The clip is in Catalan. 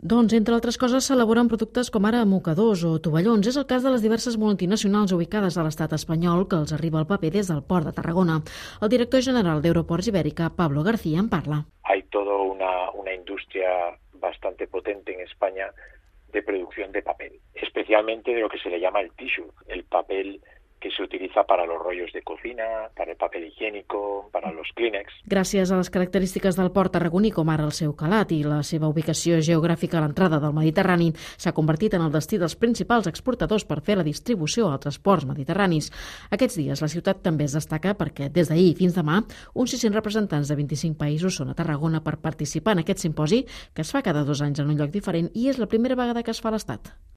Doncs, entre altres coses, s'elaboren productes com ara mocadors o tovallons. És el cas de les diverses multinacionals ubicades a l'estat espanyol que els arriba el paper des del Port de Tarragona. El director general d'Euroports Ibérica, Pablo García, en parla. Hay toda una industria bastante potente en España de producción de papel, especialmente de lo que se le llama el tissue, el papel que se utiliza para los rollos de cocina, para el papel higiénico, para los Kleenex. Gràcies a les característiques del port tarragoní, com ara el seu calat i la seva ubicació geogràfica a l'entrada del Mediterrani, s'ha convertit en el destí dels principals exportadors per fer la distribució a altres ports mediterranis. Aquests dies la ciutat també es destaca perquè des d'ahir fins demà uns 600 representants de 25 països són a Tarragona per participar en aquest simposi que es fa cada 2 anys en un lloc diferent i és la primera vegada que es fa a l'Estat.